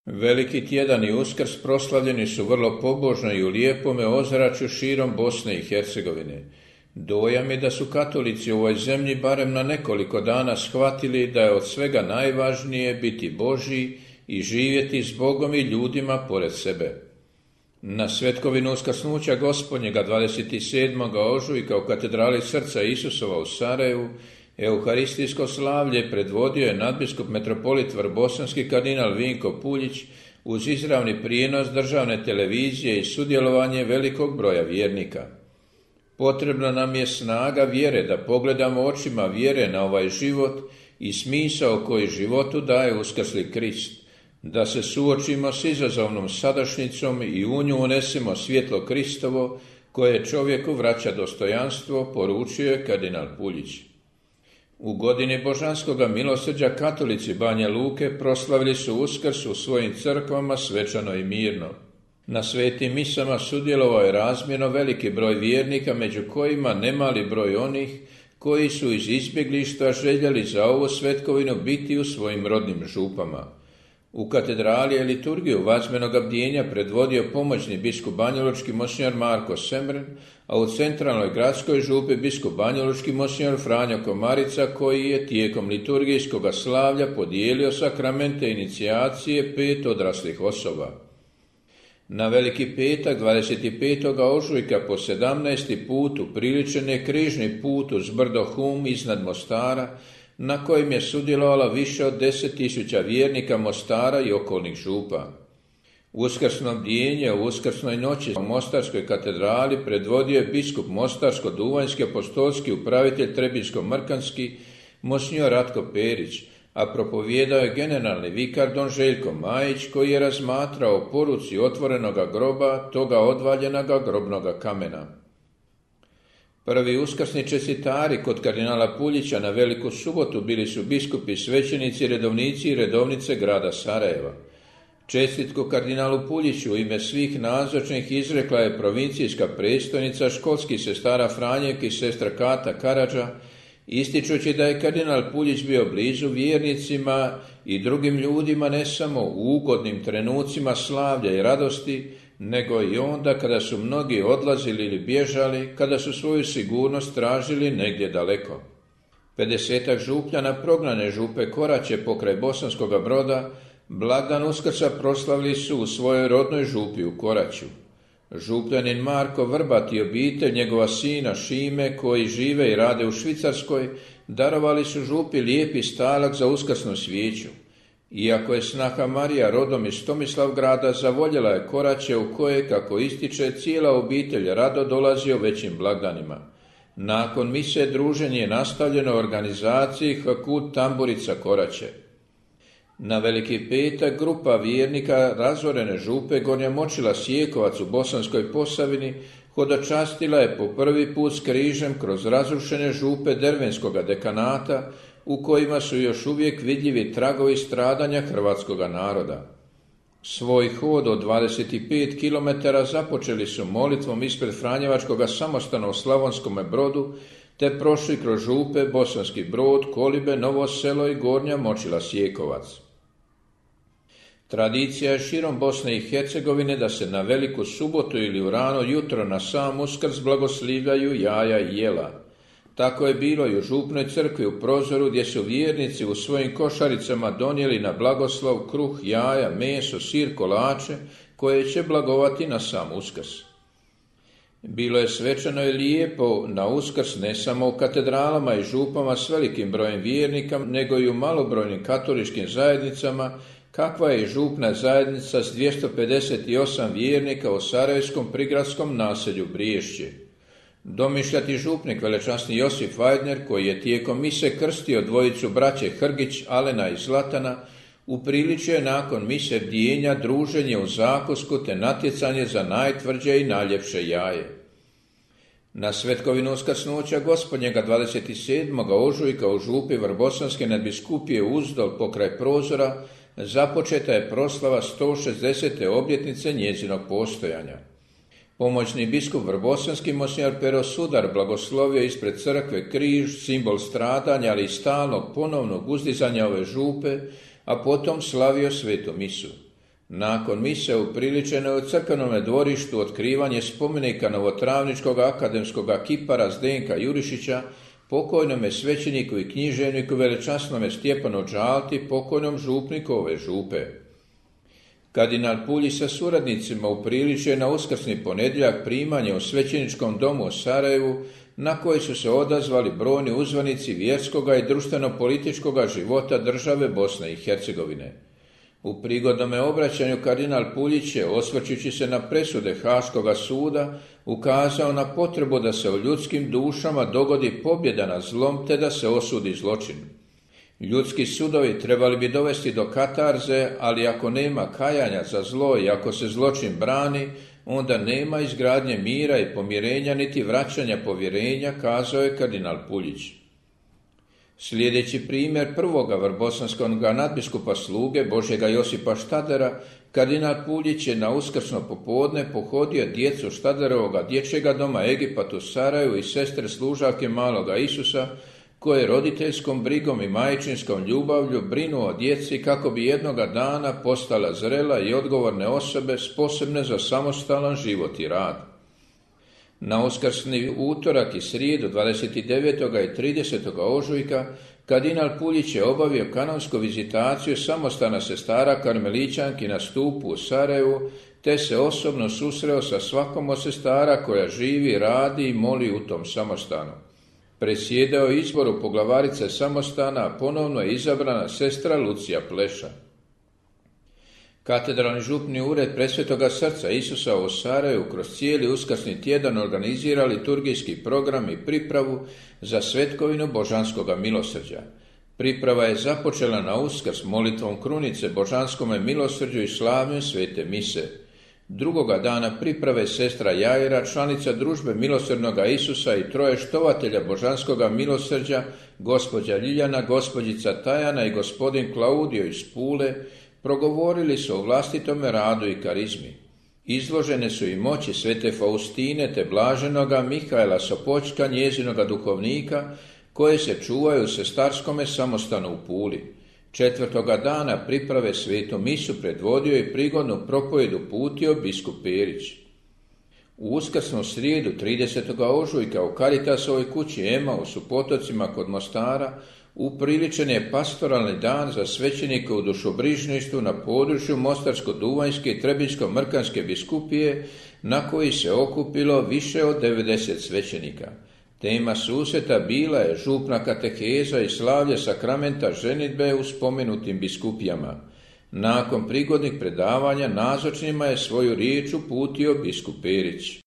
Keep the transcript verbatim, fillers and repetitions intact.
Veliki tjedan i Uskrs proslavljeni su vrlo pobožno i u lijepome ozračju širom Bosne i Hercegovine. Dojam je da su katolici u ovoj zemlji barem na nekoliko dana shvatili da je od svega najvažnije biti Božji i živjeti s Bogom i ljudima pored sebe. Na svetkovinu uskrsnuća Gospodnjega dvadeset sedmog ožujka u katedrali Srca Isusova u Sarajevu euharistijsko slavlje predvodio je nadbiskup metropolit vrbosanski kardinal Vinko Puljić uz izravni prijenos državne televizije i sudjelovanje velikog broja vjernika. Potrebna nam je snaga vjere da pogledamo očima vjere na ovaj život i smisao koji životu daje uskrsli Krist, da se suočimo s izazovnom sadašnjicom i u nju unesemo svjetlo Kristovo koje čovjeku vraća dostojanstvo, poručio je kardinal Puljić. U godini božanskoga milosrđa katolici Banja Luke proslavili su Uskrs u svojim crkvama svečano i mirno. Na svetim misama sudjelovao je razmjerno veliki broj vjernika, među kojima nemali broj onih koji su iz izbjeglištva željeli za ovu svetkovinu biti u svojim rodnim župama. U katedrali je liturgiju vazmenoga bdjenja predvodio pomoćni biskup banjalučki monsinjor Marko Semren, a u centralnoj gradskoj župi biskup banjalučki monsinjor Franjo Komarica, koji je tijekom liturgijskoga slavlja podijelio sakramente inicijacije pet odraslih osoba. Na Veliki petak dvadeset petog ožujka po sedamnaesti put upriličen je križni put uz brdo Hum iznad Mostara, na kojem je sudjelovalo više od deset tisuća vjernika Mostara i okolnih župa. Uskrsno bdjenje u uskrsnoj noći u Mostarskoj katedrali predvodio je biskup Mostarsko-duvanjski apostolski upravitelj Trebinsko-mrkanski monsinjor Ratko Perić, a propovijedao je generalni vikar don Željko Majić, koji je razmatrao o poruci otvorenoga groba, toga odvaljenoga grobnoga kamena. Prvi uskrsni čestitari kod kardinala Puljića na Veliku subotu bili su biskupi, svećenici, redovnici i redovnice grada Sarajeva. Čestitku kardinalu Puljiću u ime svih nazočnih izrekla je provincijska predstojnica školskih sestara Franjek i sestra Kata Karadža, ističući da je kardinal Puljić bio blizu vjernicima i drugim ljudima ne samo u ugodnim trenucima slavlja i radosti, nego i onda kada su mnogi odlazili ili bježali, kada su svoju sigurnost tražili negdje daleko. Pedesetak župljana prognane župe Koraće pokraj Bosanskoga Broda blagdan Uskrsa proslavili su u svojoj rodnoj župi u Koraću. Župljanin Marko Vrbat i obitelj njegova sina Šime, koji žive i rade u Švicarskoj, darovali su župi lijepi stalak za uskrsnu svijeću. Iako je snaha Marija rodom iz Tomislavgrada, zavoljela je Koraće u koje, kako ističe, cijela obitelj rado dolazi o većim blagdanima. Nakon mise druženje je nastavljeno u organizaciji Hakut Tamburica Koraće. Na Veliki petak grupa vjernika razorene župe Gornja Močila Sjekovac u Bosanskoj Posavini hodočastila je po prvi put s križem kroz razrušene župe Dervenskoga dekanata, u kojima su još uvijek vidljivi tragovi stradanja hrvatskoga naroda. Svoj hod od dvadeset pet kilometara započeli su molitvom ispred Franjevačkoga samostana u Slavonskome Brodu, te prošli kroz župe Bosanski Brod, Kolibe, Novo Selo i Gornja Močila Sjekovac. Tradicija je širom Bosne i Hercegovine da se na Veliku subotu ili u rano jutro na sam Uskrs blagoslivljaju jaja i jela. Tako je bilo i u župnoj crkvi u Prozoru, gdje su vjernici u svojim košaricama donijeli na blagoslov kruh, jaja, meso, sir, kolače, koje će blagovati na sam Uskrs. Bilo je svečano i lijepo na Uskrs ne samo u katedralama i župama s velikim brojem vjernika, nego i u malobrojnim katoličkim zajednicama, kakva je i župna zajednica s dvjesto pedeset osam vjernika u sarajevskom prigradskom naselju Briješće. Domišljati župnik velečasni Josip Vajdner, koji je tijekom mise krstio dvojicu braće Hrgić, Alena i Zlatana, upriličio je nakon mise bdjenja druženje u zakusku te natjecanje za najtvrđe i najljepše jaje. Na svetkovinu uskrsnuća Gospodnjega dvadeset sedmog ožujka u župi Vrbosanske nadbiskupije Uzdol pokraj Prozora započeta je proslava sto šezdesete obljetnice njezinog postojanja. Pomoćni biskup Vrbosanski monsinjor Pero Sudar blagoslovio ispred crkve križ, simbol stradanja, ali i stalnog ponovnog uzdizanja ove župe, a potom slavio svetu misu. Nakon mise upriličeno je u crkvenome dvorištu otkrivanje spomenika novotravničkog akademskog kipara Zdenka Jurišića, pokojnome svećeniku i književniku velečasnome Stjepanu Đalti, pokojnom župniku ove župe. Kardinal Puljić sa suradnicima upriličio na uskrsni ponedjeljak primanje u svećeničkom domu u Sarajevu, na koji su se odazvali brojni uzvanici vjerskoga i društveno-političkoga života države Bosne i Hercegovine. U prigodnome obraćanju kardinal Puljić je, osvrćući se na presude Haškoga suda, ukazao na potrebu da se u ljudskim dušama dogodi pobjeda nad zlom te da se osudi zločin. Ljudski sudovi trebali bi dovesti do katarze, ali ako nema kajanja za zlo i ako se zločin brani, onda nema izgradnje mira i pomirenja niti vraćanja povjerenja, kazao je kardinal Puljić. Sljedeći primjer prvoga vrbosanskog nadbiskupa sluge Božjega Josipa Štadera, kardinal Puljić je na uskrsno popodne pohodio djecu Štaderovoga dječjega doma Egipat u Sarajevu i sestre služavke maloga Isusa, koje roditeljskom brigom i majčinskom ljubavlju brinu o djeci kako bi jednoga dana postala zrela i odgovorne osobe sposobne za samostalan život i rad. Na uskrsni utorak i srijedu dvadeset devetog i tridesetog ožujka kardinal Puljić je obavio kanonsku vizitaciju samostana sestara karmelićanki na Stupu u Sarajevu, te se osobno susreo sa svakom od sestara koja živi, radi i moli u tom samostanu. Presjedao izboru poglavarice samostana, a ponovno je izabrana sestra Lucija Pleša. Katedralni župni ured Presvetoga srca Isusa u Sarajevu kroz cijeli uskrsni tjedan organizira liturgijski program i pripravu za svetkovinu Božanskoga milosrđa. Priprava je započela na Uskrs molitvom krunice Božanskome milosrđu i slavljem svete mise. Drugoga dana priprave sestra Jajra, članica družbe milosrdnoga Isusa i troje štovatelja Božanskoga milosrđa, gospođa Ljiljana, gospođica Tajana i gospodin Klaudio iz Pule, progovorili su o vlastitome radu i karizmi. Izložene su i moći svete Faustine te blaženoga Mihaela Sopoćka, njezinoga duhovnika, koje se čuvaju u sestarskome samostanu u Puli. Četvrtoga dana priprave svetu misu predvodio i prigodnu propovjed uputio biskup Perić. U uskrsnu srijedu tridesetog ožujka u Karitasovoj kući Emaus u Potocima kod Mostara upriličen je pastoralni dan za svećenike u dušobrižništvu na području Mostarsko-Duvanjske i Trebinjsko-Mrkanske biskupije, na koji se okupilo više od devedeset svećenika. Tema susreta bila je župna kateheza i slavlje sakramenta ženidbe u spomenutim biskupijama. Nakon prigodnih predavanja nazočnima je svoju riječ uputio biskup Perić.